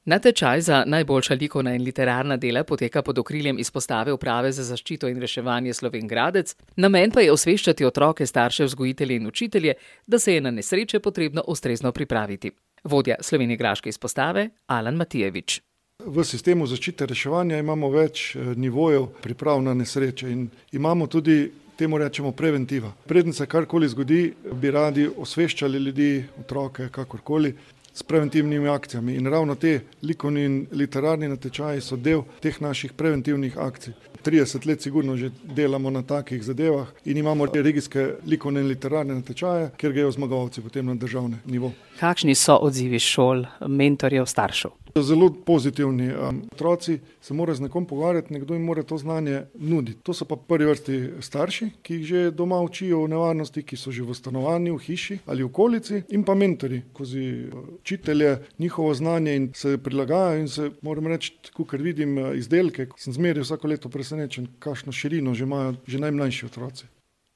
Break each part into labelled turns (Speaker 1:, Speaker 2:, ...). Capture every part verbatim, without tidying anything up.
Speaker 1: Natečaj za najboljša likovna in literarna dela poteka pod okriljem izpostave Uprave za zaščito in reševanje Slovenj Gradec, namen pa je osveščati otroke, starše, vzgojitelje in učitelje, da se je na nesreče potrebno ustrezno pripraviti. Vodja slovenjgraške izpostave Alan Matijevič.
Speaker 2: V sistemu zaščite reševanja imamo več nivojev priprav na nesreče in imamo tudi, temu rečemo, preventiva. Preden se karkoli zgodi, bi radi osveščali ljudi, otroke, kakorkoli, s preventivnimi akcijami. In ravno te likovni in literarni natečaji so del teh naših preventivnih akcij. trideset let sigurno že delamo na takih zadevah in imamo regijske likovne in literarne natečaje, kjer grejo zmagovalci potem na državni nivo.
Speaker 3: Kakšni so odzivi šol, mentorjev, staršev?
Speaker 2: Zelo pozitivni. Otroci se morajo z nekom pogovarjati, nekdo jim mora to znanje nuditi. To so pa v prvi vrsti starši, ki jih že doma učijo o nevarnosti, ki so že v stanovanju, v hiši ali v okolici, in pa mentorji, skozi učitelje, njihovo znanje in se prilagajajo in se, moram reči, kakor vidim izdelke, sem zmeraj vsako leto presenečen, kakšno širino že imajo že najmlajši otroci.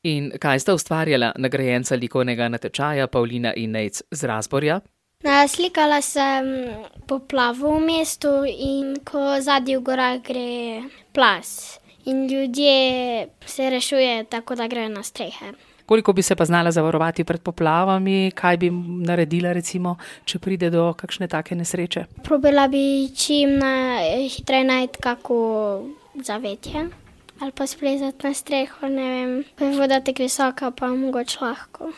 Speaker 1: In kaj sta ustvarjala nagrajenca likovnega natečaja Pavlina in Nejc z Razborja?
Speaker 4: Slikala sem poplavo v mestu in ko zadnji v gorah gre plaz in ljudje se rešujejo tako, da grejo na strehe.
Speaker 3: Koliko bi se pa znala zavarovati pred poplavami? Kaj bi naredila, recimo, če pride do kakšne take nesreče?
Speaker 4: Probila bi čim hitreje najti kako zavetje ali pa splezati na streho, ne vem. Ko je voda tako visoka, pa mogoče lahko.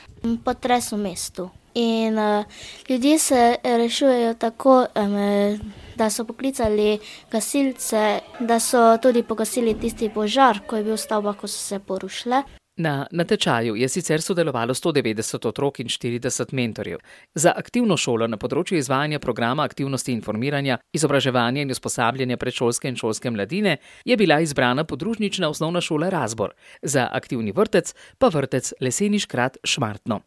Speaker 5: Potres v mestu. In uh, ljudje se rešujejo tako, um, da so poklicali gasilce, da so tudi pogasili tisti požar, ko je bil v stavbah, ko so se porušile.
Speaker 1: Na natečaju je sicer sodelovalo sto devetdeset otrok in štirideset mentorjev. Za aktivno šolo na področju izvajanja programa aktivnosti informiranja, izobraževanja in usposabljanja predšolske in šolske mladine je bila izbrana podružnična osnovna šola Razbor, za aktivni vrtec pa vrtec Leseni Škrat Šmartno.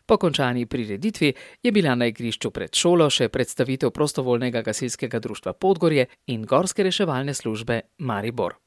Speaker 1: Po končani prireditvi je bila na igrišču pred šolo še predstavitev prostovoljnega gasilskega društva Podgorje in gorske reševalne službe Maribor.